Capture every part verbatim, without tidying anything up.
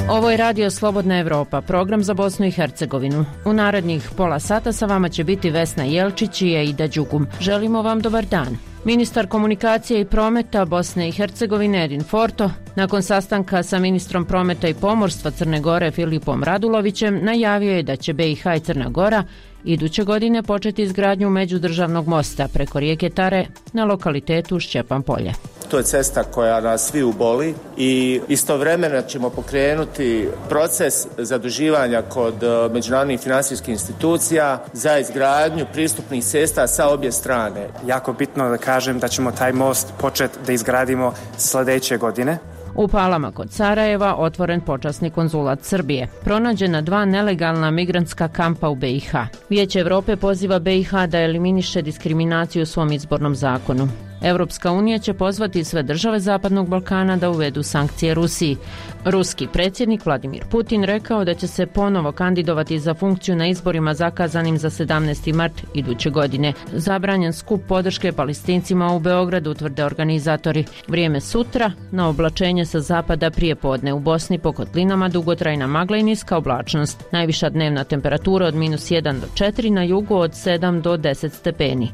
Ovo je Radio Slobodna Evropa, program za Bosnu i Hercegovinu. U narednih pola sata sa vama će biti Vesna Jelčić i Eida Đugum. Želimo vam dobar dan. Ministar komunikacije i prometa Bosne i Hercegovine Edin Forto, nakon sastanka sa ministrom prometa i pomorstva Crne Gore Filipom Radulovićem, najavio je da će be i ha i Crna Gora iduće godine početi izgradnju međudržavnog mosta preko rijeke Tare na lokalitetu Šćepan Polje. To je cesta koja nas svi uboli i istovremeno ćemo pokrenuti proces zaduživanja kod međunarodnih financijskih institucija za izgradnju pristupnih cesta sa obje strane. Jako bitno da kažem da ćemo taj most početi da izgradimo sljedeće godine. U Palama kod Sarajeva otvoren počasni konzulat Srbije. Pronađena dva nelegalna migrantska kampa u be i ha. Vijeće Evrope poziva be i ha da eliminiše diskriminaciju u svom izbornom zakonu. Evropska unija će pozvati sve države Zapadnog Balkana da uvedu sankcije Rusiji. Ruski predsjednik Vladimir Putin rekao da će se ponovo kandidovati za funkciju na izborima zakazanim za sedamnaesti mart iduće godine. Zabranjen skup podrške Palestincima u Beogradu, tvrde organizatori. Vrijeme sutra, na oblačenje sa zapada prije podne u Bosni po kotlinama dugotrajna magla i niska oblačnost. Najviša dnevna temperatura od minus jedan do četiri, na jugu od sedam do deset stepeni.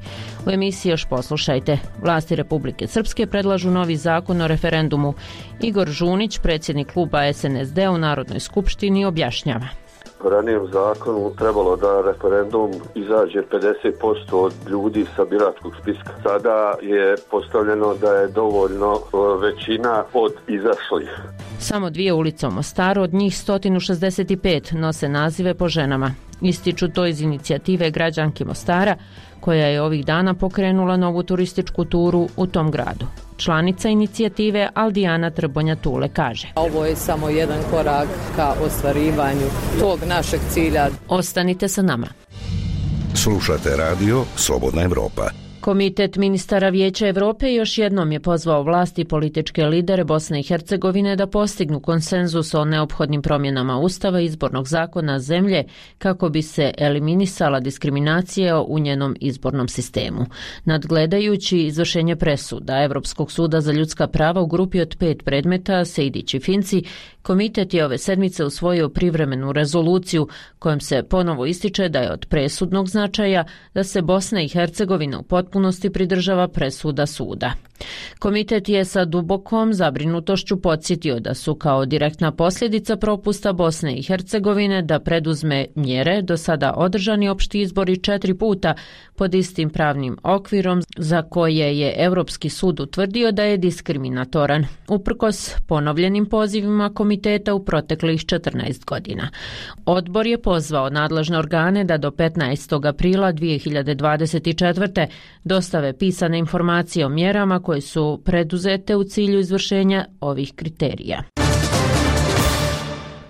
U emisiji još poslušajte. Vlasti Republike Srpske predlažu novi zakon o referendumu. Igor Žunić, predsjednik kluba es en es de u Narodnoj skupštini, objašnjava. Po ranijem zakonu trebalo da referendum izađe pedeset posto od ljudi sa biračkog spiska. Sada je postavljeno da je dovoljno većina od izašlih. Samo dvije ulice u Mostaru, od njih sto šezdeset pet, nose nazive po ženama. Ističu to iz inicijative građanki Mostara, koja je ovih dana pokrenula novu turističku turu u tom gradu. Članica inicijative Aldijana Trbonja-Tule kaže: Ovo je samo jedan korak ka ostvarivanju tog našeg cilja. Ostanite sa nama. Slušate radio Slobodna Evropa. Komitet ministara Vijeća Evrope još jednom je pozvao vlasti i političke lidere Bosne i Hercegovine da postignu konsenzus o neophodnim promjenama Ustava i izbornog zakona zemlje kako bi se eliminisala diskriminacija u njenom izbornom sistemu. Nadgledajući izvršenje presuda Evropskog suda za ljudska prava u grupi od pet predmeta Sejdić i Finci, komitet je ove sedmice usvojio privremenu rezoluciju kojom se ponovo ističe da je od presudnog značaja da se Bosna i Hercegovina u potpunosti pridržava presuda suda. Komitet je sa dubokom zabrinutošću podsjetio da su kao direktna posljedica propusta Bosne i Hercegovine da preduzme mjere do sada održani opšti izbori četiri puta pod istim pravnim okvirom za koje je Europski sud utvrdio da je diskriminatoran, uprkos ponovljenim pozivima komiteta u proteklih četrnaest godina. Odbor je pozvao nadležne organe da do petnaestog aprila dvije hiljade dvadeset četvrte dostave pisane informacije o mjerama koje su preduzete u cilju izvršenja ovih kriterija.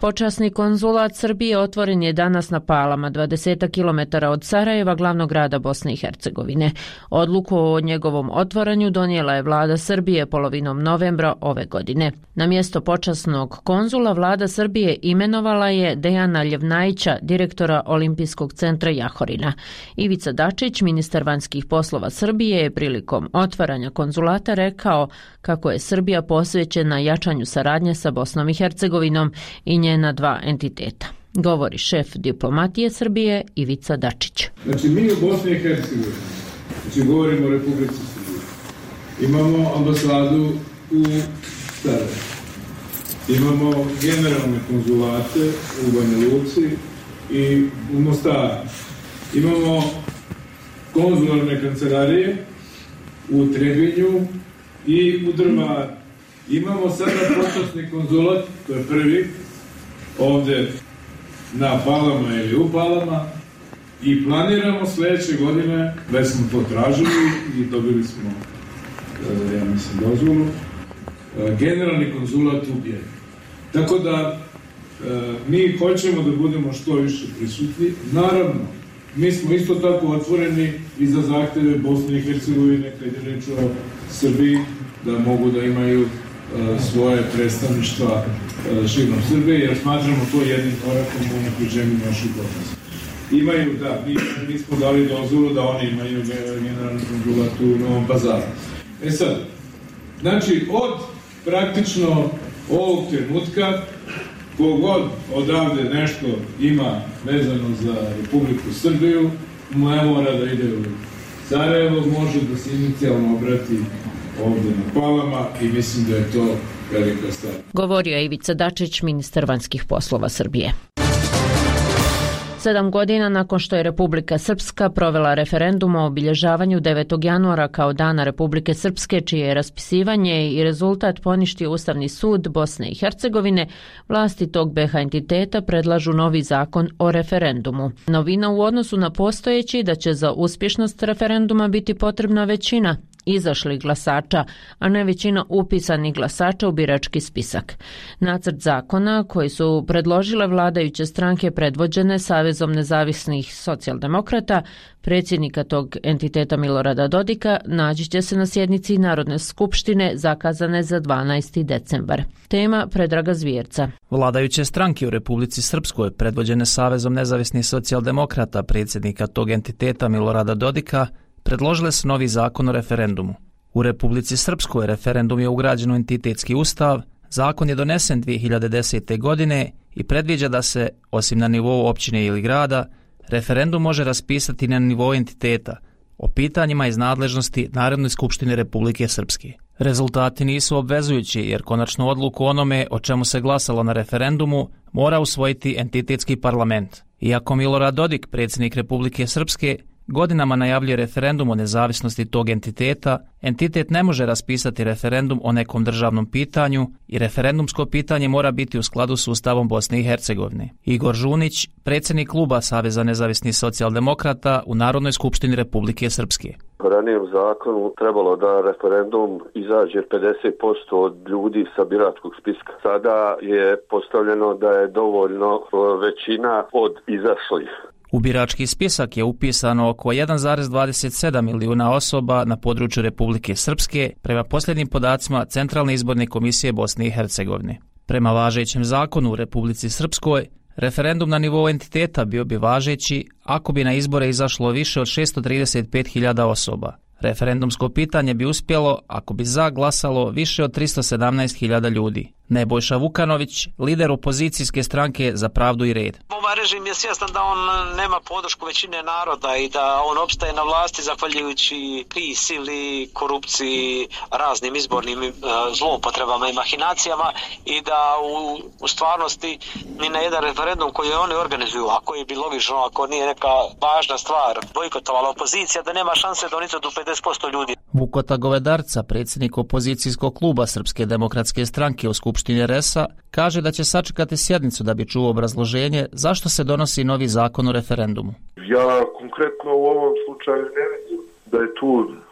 Počasni konzulat Srbije otvoren je danas na Palama, dvadeset kilometara od Sarajeva, glavnog grada Bosne i Hercegovine. Odluku o njegovom otvaranju donijela je vlada Srbije polovinom novembra ove godine. Na mjesto počasnog konzula vlada Srbije imenovala je Dejana Ljevnajića, direktora Olimpijskog centra Jahorina. Ivica Dačić, ministar vanjskih poslova Srbije, je prilikom otvaranja konzulata rekao kako je Srbija posvećena jačanju saradnje sa Bosnom i Hercegovinom i njena dva entiteta. Govori šef diplomatije Srbije Ivica Dačić. Znači mi u Bosni i Hercegovini, znači govorimo o Republici Srbije, imamo ambasadu u Sarajevu, imamo generalne konzulate u Banja Luci i u Mostaru, imamo konzularne kancelarije u Trebinju i u Drvaru. Imamo sada počasni konzulat, to je prvi, ovdje na Palama ili u Palama, i planiramo sljedeće godine, već smo to tražili i dobili smo, ja mislim, dozvolu, generalni konzulat u Bijeljini. Tako da mi hoćemo da budemo što više prisutni. Naravno, mi smo isto tako otvoreni i za zahtjeve Bosne i Hercegovine, kad je reč o Srbiji, da mogu da imaju svoje predstavništva širom Srbije, jer smatramo to jednim korakom u unapređenju naših odnosa. imaju, da, mi, mi smo dali dozvolu da oni imaju generalnu konzulat u Novom Pazaru. E sad, znači od praktično ovog trenutka kogod odavde nešto ima vezano za Republiku Srbiju, ne mora da ide u Sarajevo, može da se inicijalno obrati ovde na Palama i mislim da je to velika stvar. Govorio je Ivica Dačić, ministar vanjskih poslova Srbije. Sedam godina nakon što je Republika Srpska provela referendum o obilježavanju devetog januara kao Dana Republike Srpske, čije je raspisivanje i rezultat poništio Ustavni sud Bosne i Hercegovine, vlasti tog be ha entiteta predlažu novi zakon o referendumu. Novina u odnosu na postojeći da će za uspješnost referenduma biti potrebna većina izašlih glasača, a ne većina upisanih glasača u birački spisak. Nacrt zakona koji su predložile vladajuće stranke predvođene Savezom nezavisnih socijaldemokrata, predsjednika tog entiteta Milorada Dodika, naći će se na sjednici Narodne skupštine zakazane za dvanaesti decembar. Tema Predraga Zvjerca. Vladajuće stranke u Republici Srpskoj, predvođene Savezom nezavisnih socijaldemokrata, predsjednika tog entiteta Milorada Dodika, predložile su novi zakon o referendumu. U Republici Srpskoj referendum je ugrađen u entitetski ustav, zakon je donesen dvije hiljade desete. godine i predviđa da se, osim na nivou općine ili grada, referendum može raspisati na nivou entiteta o pitanjima iz nadležnosti Narodne skupštine Republike Srpske. Rezultati nisu obvezujući jer konačnu odluku o onome o čemu se glasalo na referendumu mora usvojiti entitetski parlament. Iako Milorad Dodik, predsjednik Republike Srpske, godinama najavljuje referendum o nezavisnosti tog entiteta, entitet ne može raspisati referendum o nekom državnom pitanju i referendumsko pitanje mora biti u skladu s Ustavom Bosne i Hercegovine. Igor Žunić, predsjednik kluba Saveza nezavisnih socijaldemokrata u Narodnoj skupštini Republike Srpske. U ranijem zakonu trebalo da referendum izađe pedeset posto od ljudi sa biračkog spiska. Sada je postavljeno da je dovoljno većina od izašlih. U birački spisak je upisano oko jedan zarez dvadeset sedam milijuna osoba na području Republike Srpske prema posljednjim podacima Centralne izborne komisije Bosne i Hercegovine. Prema važećem zakonu u Republici Srpskoj, referendum na nivou entiteta bio bi važeći ako bi na izbore izašlo više od šesto trideset pet hiljada osoba. Referendumsko pitanje bi uspjelo ako bi za glasalo više od tristo sedamnaest hiljada ljudi. Nebojša Vukanović, lider opozicijske stranke Za pravdu i red. Ovaj režim je svjestan da on nema podršku većine naroda i da on opstaje na vlasti zahvaljujući prisili, korupciji, raznim izbornim uh, zloupotrebama i mahinacijama i da u, u stvarnosti ni na jedan referendum koji oni organizuju, a koji bi logično, ako nije neka važna stvar, bojkotovala opozicija, da nema šanse da oni do pedeset posto ljudi. Vukota Govedarca, predsjednik opozicijskog kluba Srpske demokratske stranke u Skupštini R E S-a, kaže da će sačekati sjednicu da bi čuo obrazloženje zašto se donosi novi zakon o referendumu. Ja konkretno u ovom slučaju ne vidim da je tu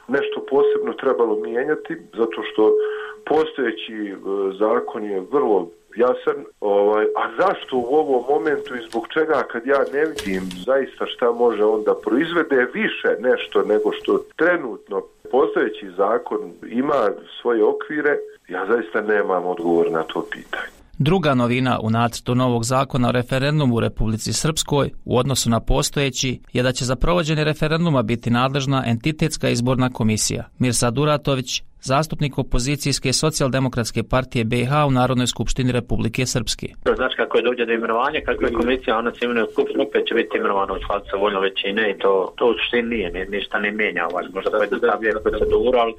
nešto posebno trebalo mijenjati, zato što postojeći zakon je vrlo jasan, ovaj, a zašto u ovom momentu i zbog čega kad ja ne vidim zaista šta može onda proizvede više nešto nego što trenutno postojeći zakon ima svoje okvire, ja zaista nemam odgovor na to pitanje. Druga novina u nacrtu novog zakona o referendumu u Republici Srpskoj u odnosu na postojeći je da će za provođenje referenduma biti nadležna entitetska izborna komisija. Mirsad Uratović, zastupnik opozicijske socijaldemokratske partije be ha u Narodnoj skupštini Republike Srpske. Znači kako je dođe do imenovanja, kako je komisija, ona se imenuje u skupštinu, opet će biti imenovana u skladu sa voljom većine i to, to u suštini nije, ništa ne mijenja, ovaj, možda pojednostavljuje proceduru, ali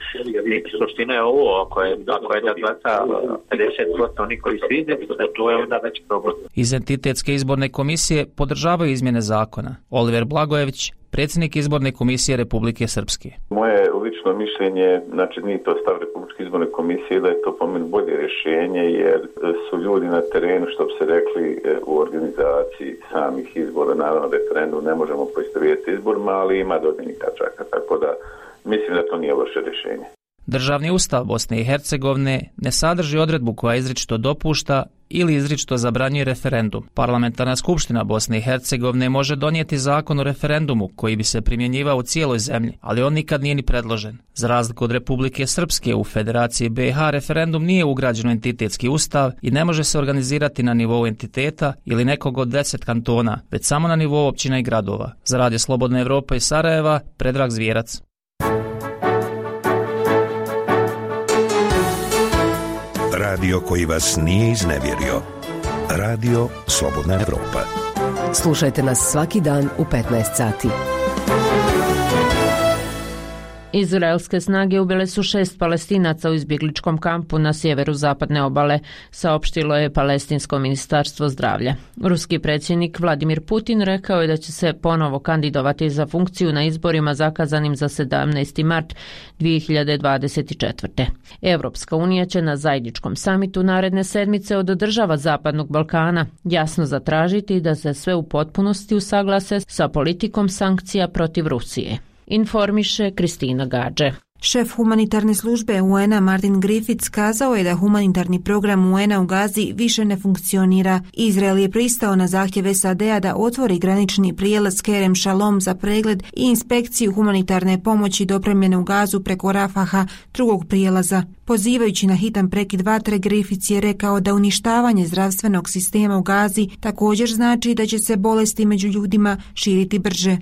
suština je ovo, ako je, ako je da glasa pedeset posto oni koji su izdjeti, to je onda već problem. Iz entitetske izborne komisije podržavaju izmjene zakona. Oliver Blagojević, predsjednik izborne komisije Republike Srpske. Moje lično mišljenje, znači nije to stav Republičke izborne komisije, da je to po meni bolje rješenje, jer su ljudi na terenu, što bi se rekli, u organizaciji samih izbora, naravno referendum ne možemo poistovjetiti izborima, ali ima dodatnih tačaka, tako da mislim da to nije loše rješenje. Državni ustav Bosne i Hercegovine ne sadrži odredbu koja izričito dopušta ili izričito zabranjuje referendum. Parlamentarna skupština Bosne i Hercegovine može donijeti zakon o referendumu koji bi se primjenjivao u cijeloj zemlji, ali on nikad nije ni predložen. Za razliku od Republike Srpske, u Federaciji B i H referendum nije ugrađen u entitetski ustav i ne može se organizirati na nivou entiteta ili nekog od deset kantona, već samo na nivou općina i gradova. Za Radio Slobodna Evropa iz Sarajeva, Predrag Zvijerac. Radio koji vas nije iznevjerio. Radio Slobodna Evropa. Slušajte nas svaki dan u petnaest sati. Izraelske snage ubile su šest Palestinaca u izbjegličkom kampu na sjeveru zapadne obale, saopštilo je Palestinsko ministarstvo zdravlja. Ruski predsjednik Vladimir Putin rekao je da će se ponovo kandidovati za funkciju na izborima zakazanim za sedamnaesti mart dvije hiljade dvadeset četvrte. Europska unija će na zajedničkom samitu naredne sedmice od država Zapadnog Balkana jasno zatražiti da se sve u potpunosti usaglase sa politikom sankcija protiv Rusije. Informiše Kristina Gađe. Šef humanitarne službe U N-a Martin Griffiths kazao je da humanitarni program U N-a u Gazi više ne funkcionira. Izrael je pristao na zahtjev S A D-a da otvori granični prijelaz Kerem Shalom za pregled i inspekciju humanitarne pomoći dopremljene u Gazu preko Rafaha, drugog prijelaza. Pozivajući na hitan prekid vatre, Griffiths je rekao da uništavanje zdravstvenog sistema u Gazi također znači da će se bolesti među ljudima širiti brže.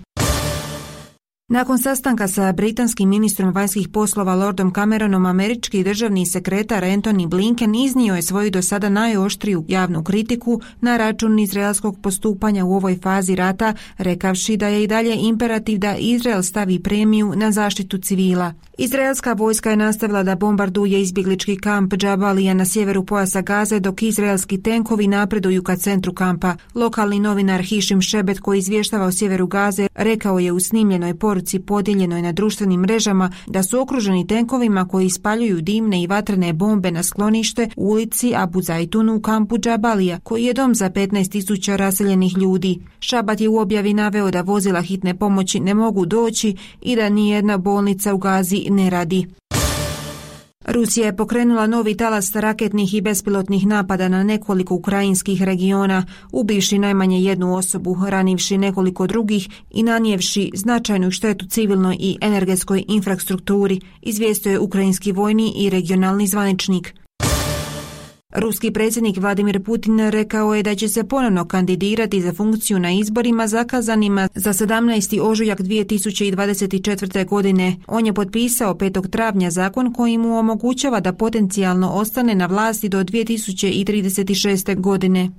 Nakon sastanka sa britanskim ministrom vanjskih poslova Lordom Cameronom, američki državni sekretar Antony Blinken iznio je svoju do sada najoštriju javnu kritiku na račun izraelskog postupanja u ovoj fazi rata, rekavši da je i dalje imperativ da Izrael stavi premiju na zaštitu civila. Izraelska vojska je nastavila da bombarduje izbjeglički kamp Džabalija na sjeveru pojasa Gaze, dok izraelski tenkovi napreduju ka centru kampa. Lokalni novinar Hishim Šebet, koji izvještava o sjeveru Gaze, rekao je u snimljenoj poruci podijeljenoj na društvenim mrežama da su okruženi tenkovima koji ispaljuju dimne i vatrene bombe na sklonište u ulici Abu Zaitunu u kampu Džabalija, koji je dom za petnaest tisuća raseljenih ljudi. Šabat je u objavi naveo da vozila hitne pomoći ne mogu doći i da nijedna bolnica u Gazi ne radi. Rusija je pokrenula novi talas raketnih i bespilotnih napada na nekoliko ukrajinskih regiona, ubivši najmanje jednu osobu, ranivši nekoliko drugih i nanijevši značajnu štetu civilnoj i energetskoj infrastrukturi, izvijestio je ukrajinski vojni i regionalni zvaničnik. Ruski predsjednik Vladimir Putin rekao je da će se ponovno kandidirati za funkciju na izborima zakazanima za sedamnaesti ožujak dvije tisuće dvadeset četvrte. godine. On je potpisao petog travnja zakon koji mu omogućava da potencijalno ostane na vlasti do dvije tisuće trideset šeste. godine.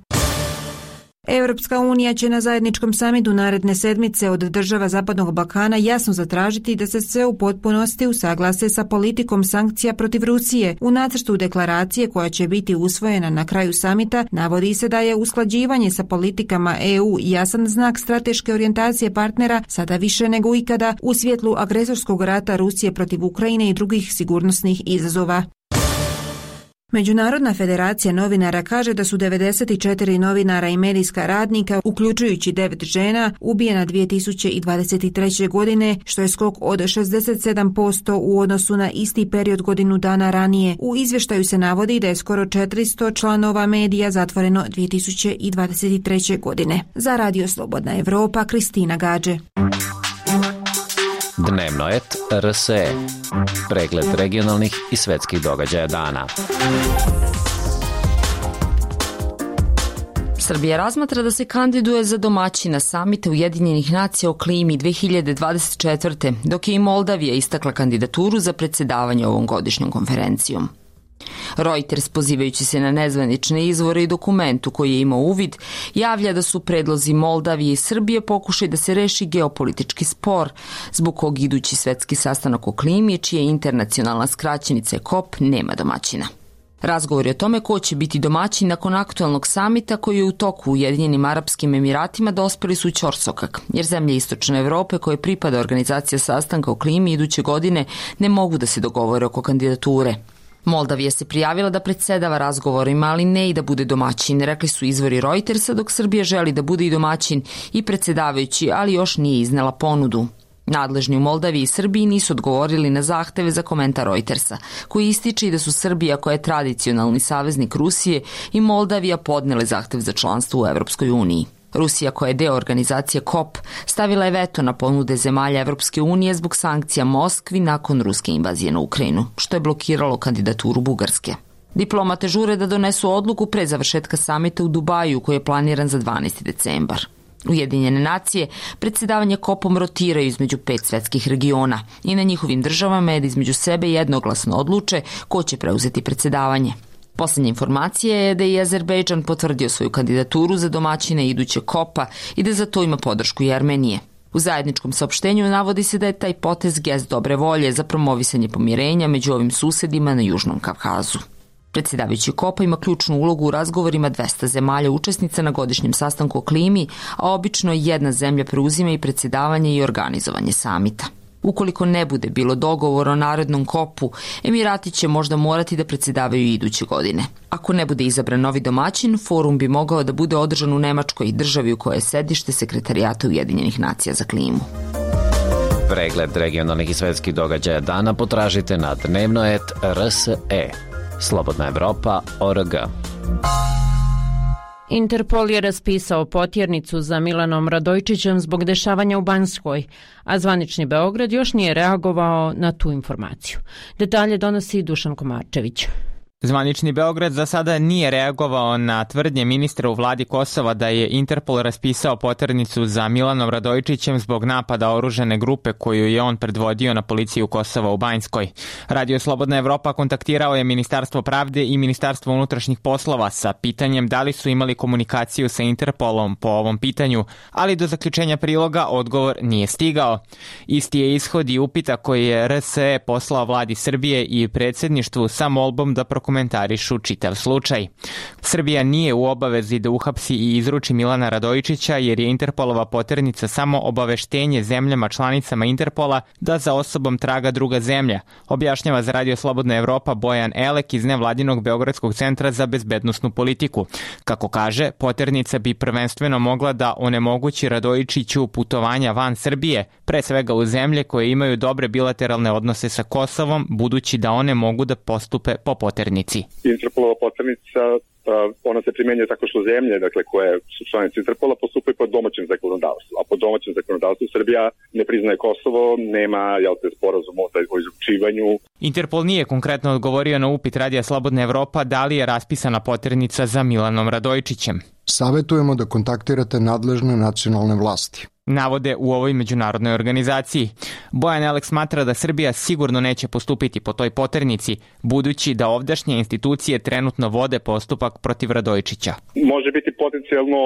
Europska unija će na zajedničkom samitu naredne sedmice od država Zapadnog Balkana jasno zatražiti da se sve u potpunosti usaglase sa politikom sankcija protiv Rusije. U nacrtu deklaracije koja će biti usvojena na kraju samita navodi se da je usklađivanje sa politikama E U jasan znak strateške orijentacije partnera sada više nego ikada u svjetlu agresorskog rata Rusije protiv Ukrajine i drugih sigurnosnih izazova. Međunarodna federacija novinara kaže da su devedeset četiri novinara i medijska radnika, uključujući devet žena, ubijena dvije tisuće dvadeset treće. godine, što je skok od šezdeset sedam posto u odnosu na isti period godinu dana ranije. U izvještaju se navodi da je skoro četiristo članova medija zatvoreno dvije tisuće dvadeset treće. godine. Za Radio Slobodna Evropa, Kristina Gađe. Dnevnoet R S E. Pregled regionalnih i svetskih događaja dana. Srbija razmatra da se kandiduje za domaćina samita Ujedinjenih nacija o klimi dvije hiljade dvadeset četvrte. dok je i Moldavija istakla kandidaturu za predsjedavanje ovom godišnjom konferencijom. Reuters, pozivajući se na nezvanične izvore i dokumentu koji je imao uvid, javlja da su predlozi Moldavije i Srbije pokušaj da se reši geopolitički spor, zbog kog idući svetski sastanak o klimi, čija je internacionalna skraćenica C O P, nema domaćina. Razgovori o tome ko će biti domaćin nakon aktualnog samita koji je u toku u Ujedinjenim Arapskim Emiratima dospeli su u ćorsokak, jer zemlje Istočne Evrope koje pripada organizacija sastanka o klimi iduće godine ne mogu da se dogovore oko kandidature. Moldavija se prijavila da predsjedava razgovorima, ali ne i da bude domaćin, rekli su izvori Reutersa, dok Srbija želi da bude i domaćin i predsjedavajući, ali još nije iznela ponudu. Nadležni u Moldaviji i Srbiji nisu odgovorili na zahteve za komentar Reutersa, koji ističe da su Srbija, koja je tradicionalni saveznik Rusije, i Moldavija podnele zahtev za članstvo u Evropskoj uniji. Rusija, koja je deo organizacije K O P, stavila je veto na ponude zemalja Evropske unije zbog sankcija Moskvi nakon ruske invazije na Ukrajinu, što je blokiralo kandidaturu Bugarske. Diplomate žure da donesu odluku pre završetka samita u Dubaju, koji je planiran za dvanaesti decembar. Ujedinjene nacije predsjedavanje K O P-om rotiraju između pet svetskih regiona i na njihovim državama je da između sebe jednoglasno odluče ko će preuzeti predsjedavanje. Poslednja informacija je da je Azerbejdžan potvrdio svoju kandidaturu za domaćine iduće K O P-a i da za to ima podršku i Armenije. U zajedničkom saopštenju navodi se da je taj potez gest dobre volje za promovisanje pomirenja među ovim susedima na Južnom Kavkazu. Predsjedavajući K O P-a ima ključnu ulogu u razgovorima dvesta zemalja učesnica na godišnjem sastanku o klimi, a obično jedna zemlja preuzima i predsjedavanje i organizovanje samita. Ukoliko ne bude bilo dogovora o narednom K O P-u, Emirati će možda morati da predsjedavaju iduće godine. Ako ne bude izabran novi domaćin, forum bi mogao da bude održan u Nemačkoj, državi u kojoj je sedište Sekretarijata Ujedinjenih nacija za klimu. Pregled regionalnih i svetskih događaja dana potražite na dnevnoet R S E. Slobodna Evropa tačka org. Interpol je raspisao potjernicu za Milanom Radojčićem zbog dešavanja u Banjskoj, a zvanični Beograd još nije reagovao na tu informaciju. Detalje donosi Dušan Komarčević. Zvanični Beograd za sada nije reagovao na tvrdnje ministra u vladi Kosova da je Interpol raspisao poternicu za Milanom Radojčićem zbog napada oružane grupe koju je on predvodio na policiju Kosova u Banjskoj. Radio Slobodna Evropa kontaktirao je Ministarstvo pravde i Ministarstvo unutrašnjih poslova sa pitanjem da li su imali komunikaciju sa Interpolom po ovom pitanju, ali do zaključenja priloga odgovor nije stigao. Isti je ishod i upita koji je R S E poslao vladi Srbije i predsjedništvu sa molbom da komentarišu čitav slučaj. Srbija nije u obavezi da uhapsi i izruči Milana Radojčića jer je Interpolova poternica samo obaveštenje zemljama članicama Interpola da za osobom traga druga zemlja, objašnjava za Radio Slobodna Evropa Bojan Elek iz nevladinog Beogradskog centra za bezbednosnu politiku. Kako kaže, poternica bi prvenstveno mogla da onemogući Radojčiću putovanja van Srbije, pre svega u zemlje koje imaju dobre bilateralne odnose sa Kosovom, budući da one mogu da postupe po poternici. Interpolova poternica, ona se primenjuje tako što zemlje, dakle, koje su članice Interpola, postupaju po domaćem zakonodavstvu. A po domaćem zakonodavstvu Srbija ne priznaje Kosovo, nema, jel te, sporazum o izručivanju. Interpol nije konkretno odgovorio na upit Radija Slobodna Evropa da li je raspisana poternica za Milanom Radojčićem. Savetujemo da kontaktirate nadležne nacionalne vlasti, navode u ovoj međunarodnoj organizaciji. Bojan Elek smatra da Srbija sigurno neće postupiti po toj poternici, budući da ovdašnje institucije trenutno vode postupak protiv Radojčića. Može biti potencijalno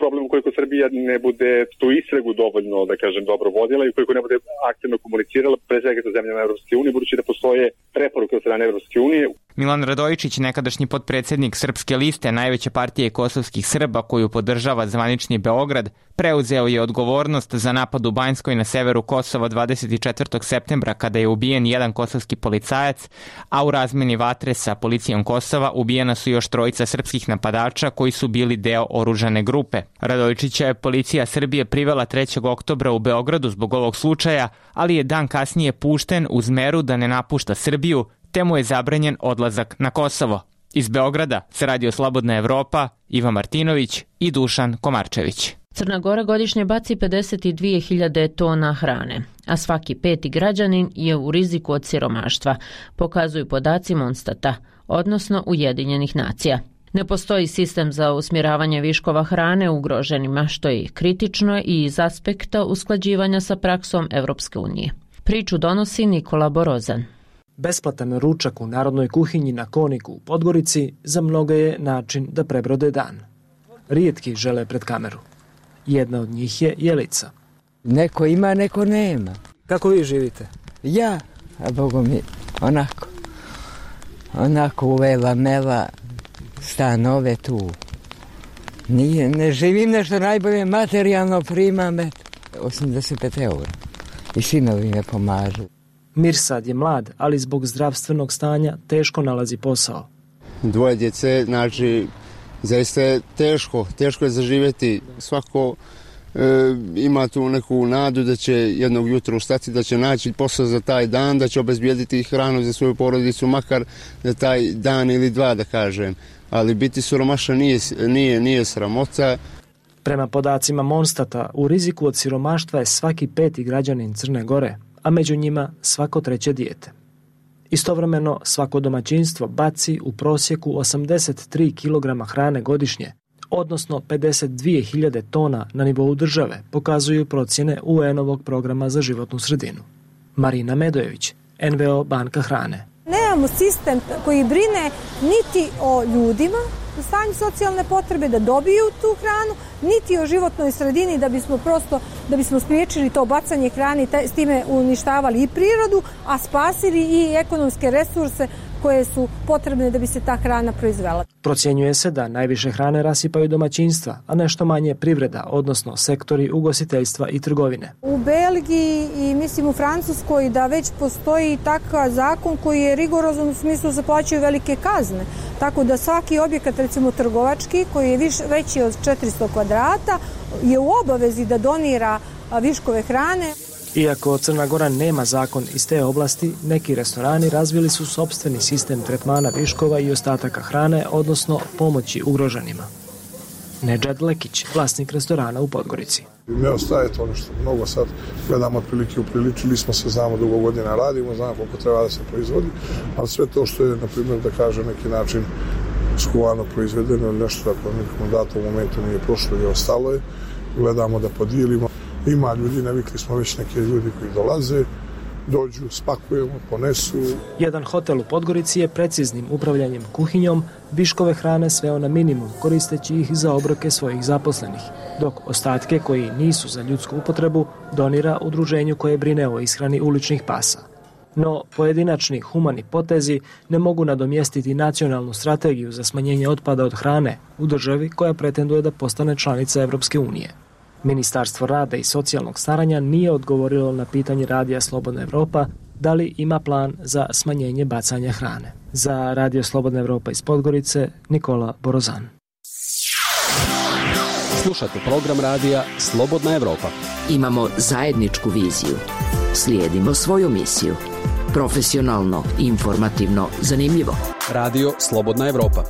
problem ukoliko Srbija ne bude tu istragu dovoljno, da kažem, dobro vodila i ukoliko ne bude aktivno komunicirala, pre svega sa zemljama Evropske unije, budući da postoje preporuke od strane Evropske unije. Milan Radojčić, nekadašnji potpredsjednik Srpske liste, najveće partije kosovskih Srba koju podržava zvanični Beograd, preuzeo je odgovornost za napad u Banjskoj na severu Kosova dvadeset četvrtog septembra kada je ubijen jedan kosovski policajac, a u razmeni vatre sa policijom Kosova ubijena su još trojica srpskih napadača koji su bili deo oružane grupe. Radojčića je policija Srbije privela trećeg oktobra u Beogradu zbog ovog slučaja, ali je dan kasnije pušten uz meru da ne napušta Srbiju, te mu je zabranjen odlazak na Kosovo. Iz Beograda se Radio Slobodna Evropa, Iva Martinović i Dušan Komarčević. Crna Gora godišnje baci pedeset dvije hiljade tona hrane, a svaki peti građanin je u riziku od siromaštva, pokazuju podaci Monstata, odnosno Ujedinjenih nacija. Ne postoji sistem za usmjeravanje viškova hrane ugroženima, što je kritično i iz aspekta usklađivanja sa praksom Evropske unije. Priču donosi Nikola Borozan. Besplatan ručak u narodnoj kuhinji na Koniku u Podgorici za mnoge je način da prebrode dan. Rijetki žele pred kameru. Jedna od njih je Jelica. Neko ima, neko nema. Kako vi živite? Ja, a Bogu mi, onako. Onako uvela mela stanove tu. Nije, ne živim nešto najbolje, materijalno primam osamdeset pet eura. I sinovi me pomažu. Mirsad je mlad, ali zbog zdravstvenog stanja teško nalazi posao. Dvoje djece, znači, zaista je teško, teško je zaživjeti. Svako ima tu neku nadu da će jednog jutra ustati, da će naći posao za taj dan, da će obezbijediti hranu za svoju porodicu, makar za taj dan ili dva, da kažem. Ali biti siromašan nije, nije, nije sramota. Prema podacima Monstata, u riziku od siromaštva je svaki peti građanin Crne Gore, a među njima svako treće dijete. Istovremeno, svako domaćinstvo baci u prosjeku osamdeset tri kilograma hrane godišnje, odnosno pedeset dvije hiljade tona na nivou države, pokazuju procjene U N-ovog programa za životnu sredinu. Marina Medojević, N V O Banka hrane. Nemamo sistem koji brine niti o ljudima u stanju socijalne potrebe da dobiju tu hranu, niti o životnoj sredini da bismo prosto da bismo spriječili to bacanje hrane i s time uništavali i prirodu, a spasili i ekonomske resurse koje su potrebne da bi se ta hrana proizvela. Procjenjuje se da najviše hrane rasipaju domaćinstva, a nešto manje privreda, odnosno sektori ugostiteljstva i trgovine. U Belgiji i mislim u Francuskoj da već postoji takav zakon koji je rigorozan u smislu se plaćaju velike kazne. Tako da svaki objekat, recimo trgovački, koji je viš, veći od četiristo kvadrata, je u obavezi da donira viškove hrane. Iako Crna Gora nema zakon iz te oblasti, neki restorani razvili su sopstveni sistem tretmana viškova i ostataka hrane, odnosno pomoći ugroženima. Nedžad Lekić, vlasnik restorana u Podgorici. Ne ostaje to nešto mnogo, sad gledamo otprilike, upriličili smo se, znamo dugo godina radimo, znamo koliko treba da se proizvodi, ali sve to što je, na primjer, da kažem, neki način skuvano proizvedeno ili nešto tako nekom datom momentu nije prošlo i ostalo je, gledamo da podijelimo. Ima ljudi, navikli smo već neke ljudi koji dolaze, dođu, spakujemo, ponesu. Jedan hotel u Podgorici je preciznim upravljanjem kuhinjom viškove hrane sveo na minimum, koristeći ih za obroke svojih zaposlenih, dok ostatke koji nisu za ljudsku upotrebu donira udruženju koje brine o ishrani uličnih pasa. No, pojedinačni humani potezi ne mogu nadomjestiti nacionalnu strategiju za smanjenje otpada od hrane u državi koja pretenduje da postane članica Evropske unije. Ministarstvo rada i socijalnog staranja nije odgovorilo na pitanje Radija Slobodna Evropa da li ima plan za smanjenje bacanja hrane. Za Radio Slobodna Evropa iz Podgorice, Nikola Borozan. Slušate program radija Slobodna Evropa. Imamo zajedničku viziju. Slijedimo svoju misiju. Profesionalno, informativno, zanimljivo. Radio Slobodna Evropa.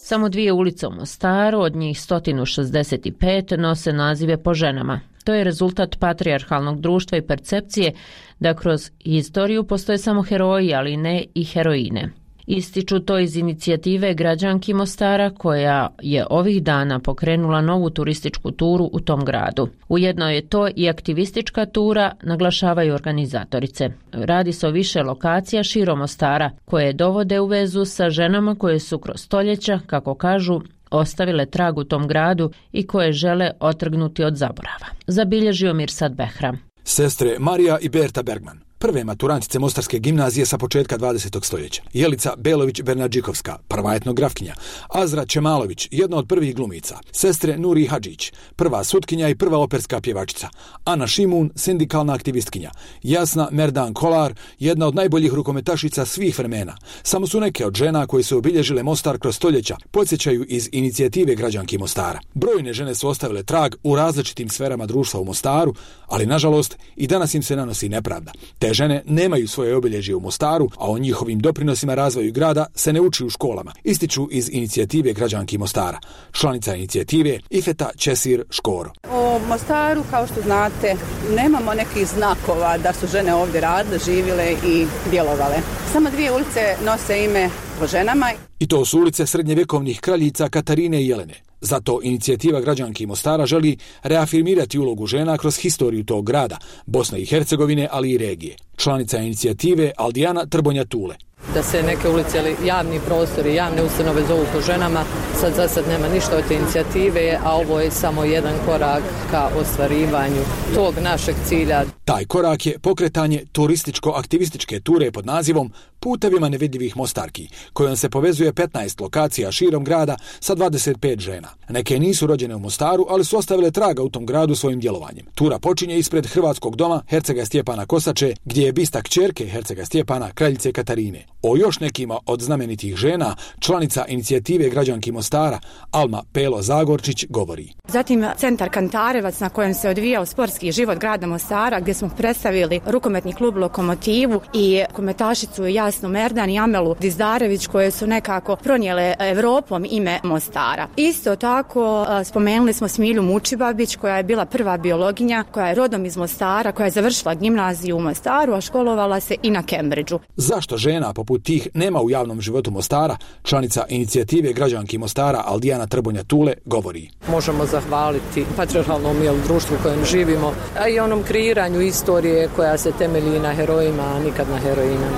Samo dvije ulice u Mostaru, od njih sto šezdeset pet, nose nazive po ženama. To je rezultat patrijarhalnog društva i percepcije da kroz historiju postoje samo heroji, ali ne i heroine. Ističu to iz inicijative građanki Mostara koja je ovih dana pokrenula novu turističku turu u tom gradu. Ujedno je to i aktivistička tura, naglašavaju organizatorice. Radi se o više lokacija širom Mostara koje dovode u vezu sa ženama koje su kroz stoljeća, kako kažu, ostavile trag u tom gradu i koje žele otrgnuti od zaborava. Zabilježio Mirsad Behram. Sestre Marija i Berta Bergman, prve maturantice Mostarske gimnazije sa početka dvadesetog stoljeća. Jelica Belović-Bernadžikovska, prva etnografkinja. Azra Čemalović, jedna od prvih glumica. Sestre Nuri Hadžić, prva sutkinja i prva operska pjevačica. Ana Šimun, sindikalna aktivistkinja. Jasna Merdan Kolar, jedna od najboljih rukometašica svih vremena. Samo su neke od žena koje su obilježile Mostar kroz stoljeća, podsjećaju iz inicijative građanki Mostara. Brojne žene su ostavile trag u različitim sferama društva u Mostaru, ali nažalost i danas im se nanosi nepravda. Te žene nemaju svoje obilježje u Mostaru, a o njihovim doprinosima razvoju grada se ne uči u školama, ističu iz inicijative građanki Mostara. Članica inicijative Ifeta Česir Škoro. U Mostaru, kao što znate, nemamo nekih znakova da su žene ovdje radile, živjele i djelovale. Samo dvije ulice nose ime po ženama. I to su ulice srednjevjekovnih kraljica Katarine i Jelene. Zato inicijativa građanki Mostara želi reafirmirati ulogu žena kroz historiju tog grada, Bosne i Hercegovine, ali i regije. Članica inicijative Aldijana Trbonja Tule. Da se neke ulice ili javni prostori, javne ustanove zovu po ženama, sad za sad nema ništa od te inicijative, a ovo je samo jedan korak ka ostvarivanju tog našeg cilja. Taj korak je pokretanje turističko-aktivističke ture pod nazivom Putevima nevidljivih Mostarki, kojom se povezuje petnaest lokacija širom grada sa dvadeset pet žena. Neke nisu rođene u Mostaru, ali su ostavile traga u tom gradu svojim djelovanjem. Tura počinje ispred Hrvatskog doma Hercega Stjepana Kosače, gdje je bista kćerke Hercega Stjepana, kraljice Katarine. O još nekima od znamenitih žena članica inicijative građanki Mostara Alma Pelo Zagorčić govori. Zatim centar Kantarevac na kojem se odvijao sportski život grada Mostara, gdje smo predstavili rukometni klub Lokomotivu i kometašicu Jasnu Merdan i Amelu Dizdarević, koje su nekako pronijele Evropom ime Mostara. Isto tako spomenuli smo Smilju Mučibabić, koja je bila prva biologinja, koja je rodom iz Mostara, koja je završila gimnaziju u Mostaru, a školovala se i na Cambridgeu. Zašto žena poput tih nema u javnom životu Mostara, članica inicijative građanki Mostara Aldijana Trbonja Tule govori. Možemo zahvaliti patriarhalnom društvu u kojem živimo, a i onom kreiranju istorije koja se temelji na herojima, a nikad na heroinama.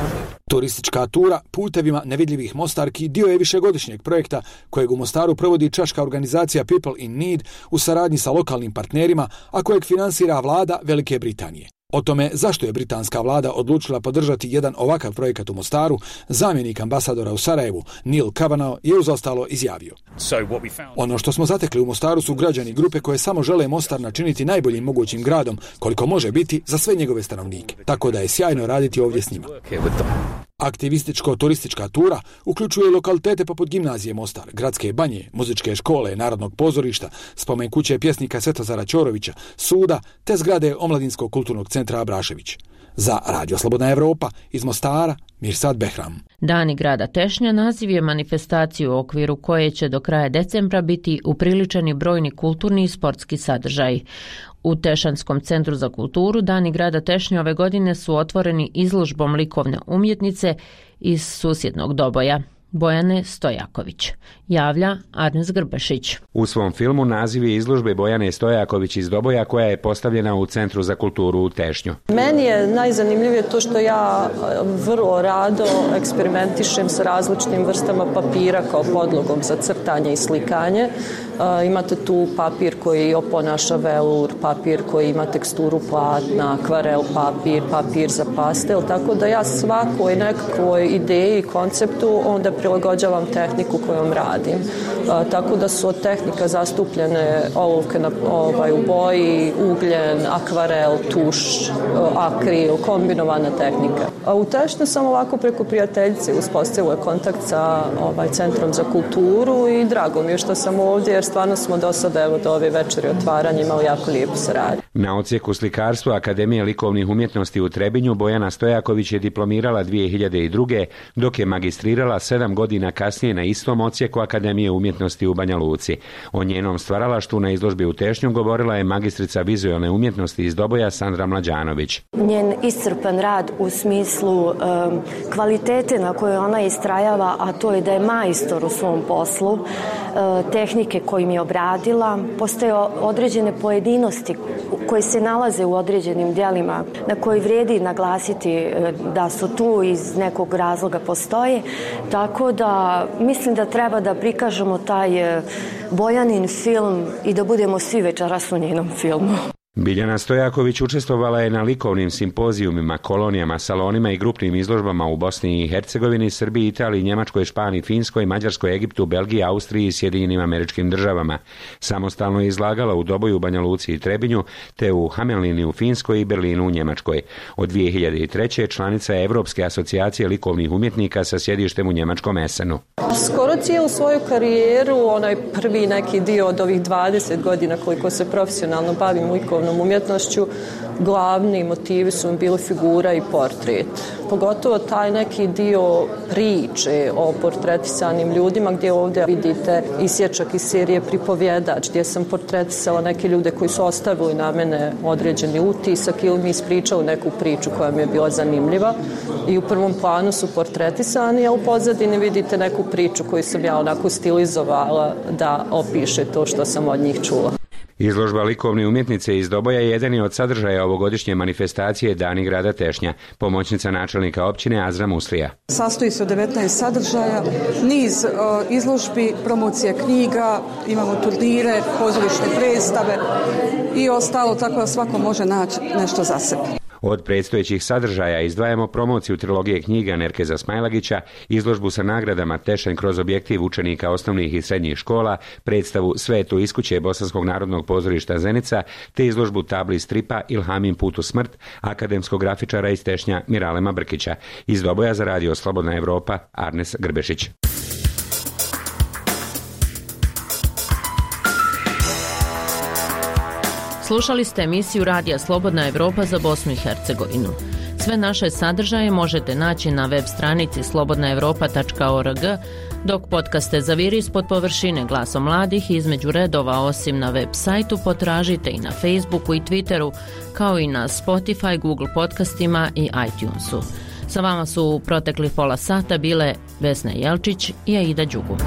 Turistička tura putevima nevidljivih Mostarki dio je višegodišnjeg projekta kojeg u Mostaru provodi čaška organizacija People in Need u saradnji sa lokalnim partnerima, a kojeg finansira vlada Velike Britanije. O tome zašto je britanska vlada odlučila podržati jedan ovakav projekat u Mostaru, zamjenik ambasadora u Sarajevu Neil Kavanagh je uz ostalo izjavio. Ono što smo zatekli u Mostaru su građani grupe koje samo žele Mostar načiniti najboljim mogućim gradom koliko može biti za sve njegove stanovnike, tako da je sjajno raditi ovdje s njima. Aktivističko-turistička tura uključuje lokalitete poput gimnazije Mostar, gradske banje, muzičke škole, narodnog pozorišta, spomen kuće pjesnika Svetozara Ćorovića, suda te zgrade Omladinskog kulturnog centra Abrašević. Za Radio Slobodna Evropa iz Mostara, Mirsad Behram. Dani grada Tešnja naziv je manifestaciju u okviru koje će do kraja decembra biti upriličeni brojni kulturni i sportski sadržaji. U Tešanskom centru za kulturu Dani grada Tešnja ove godine su otvoreni izložbom likovne umjetnice iz susjednog Doboja. Bojane Stojaković. Javlja Arnes Grbešić. U svom filmu naziv je izložbe Bojane Stojaković iz Doboja, koja je postavljena u Centru za kulturu u Tešnju. Meni je najzanimljivije to što ja vrlo rado eksperimentišem sa različitim vrstama papira kao podlogom za crtanje i slikanje. Uh, imate tu papir koji oponaša velur, papir koji ima teksturu platna, akvarel papir, papir za pastel, tako da ja svakoj nekakvoj ideji i konceptu onda prilagođavam tehniku kojom radim. Uh, tako da su od tehnika zastupljene olovke na, ovaj, u boji, ugljen, akvarel, tuš, uh, akril, kombinovana tehnika. A u Tešnju sam ovako preko prijateljice uspostavila kontakt sa ovaj, Centrom za kulturu i drago mi je što sam ovdje, jer stvarno smo do sada, evo do ove večeri otvaranja, imali jako lijepu saradnju. Na odsjeku slikarstva Akademije likovnih umjetnosti u Trebinju Bojana Stojaković je diplomirala dvije hiljade druge. dok je magistrirala sedam godina kasnije na istom odsjeku Akademije umjetnosti u Banja Luci. O njenom stvaralaštvu na izložbi u Tešnju govorila je magistrica vizualne umjetnosti iz Doboja Sandra Mlađanović. Njen iscrpan rad u smislu um, kvalitete na kojoj ona istrajava, a to je da je majstor u svom poslu, uh, tehnike kojim je obradila, postoje određene pojedinosti koje se nalaze u određenim djelima na koji vrijedi naglasiti da su tu iz nekog razloga postoje, tako da mislim da treba da prikažemo taj Bojanin film i da budemo svi večeras u njenom filmu. Biljana Stojaković učestvovala je na likovnim simpozijumima, kolonijama, salonima i grupnim izložbama u Bosni i Hercegovini, Srbiji, Italiji, Njemačkoj, Španiji, Finskoj, Mađarskoj, Egiptu, Belgiji, Austriji i Sjedinjenim Američkim Državama. Samostalno je izlagala u Doboju, Banja Luci i Trebinju, te u Hamelini u Finskoj i Berlinu u Njemačkoj. Od dvije hiljade treće. članica je Evropske asocijacije likovnih umjetnika sa sjedištem u njemačkom Essenu. Skoro cijelu svoju karijeru, onaj prvi neki dio od ovih dvadeset godina koliko se profesionalno bavim likovnom umjetnošću, glavni motivi su mi bili figura i portret. Pogotovo taj neki dio priče o portretisanim ljudima, gdje ovdje vidite isječak iz serije Pripovjedač, gdje sam portretisala neke ljude koji su ostavili na mene određeni utisak ili mi ispričali neku priču koja mi je bila zanimljiva. I u prvom planu su portretisani, a u pozadini vidite neku priču koju sam ja onako stilizovala da opiše to što sam od njih čula. Izložba likovne umjetnice iz Doboja je jedan od sadržaja ovogodišnje manifestacije Dani grada Tešnja. Pomoćnica načelnika općine Azra Muslija. Sastoji se od devetnaest sadržaja, niz uh, izložbi, promocija knjiga, imamo turnire, pozorišne predstave i ostalo, tako da svako može naći nešto za sebe. Od predstojećih sadržaja izdvajamo promociju trilogije knjiga Nerkeza Smajlagića, izložbu sa nagradama Tešanj kroz objektiv učenika osnovnih i srednjih škola, predstavu Svetu iskuće Bosanskog narodnog pozorišta Zenica, te izložbu tabli stripa Ilhamin put u smrt akademskog grafičara iz Tešnja Miralema Brkića. Iz Doboja za radio Slobodna Evropa, Arnes Grbešić. Slušali ste emisiju Radija Slobodna Evropa za Bosnu i Hercegovinu. Sve naše sadržaje možete naći na web stranici slobodna evropa tačka org, dok podcaste Zaviri ispod površine Glasom mladih između redova osim na web sajtu potražite i na Facebooku i Twitteru, kao i na Spotify, Google podcastima i iTunesu. Sa vama su u proteklih pola sata bile Vesna Jelčić i Aida Đugu.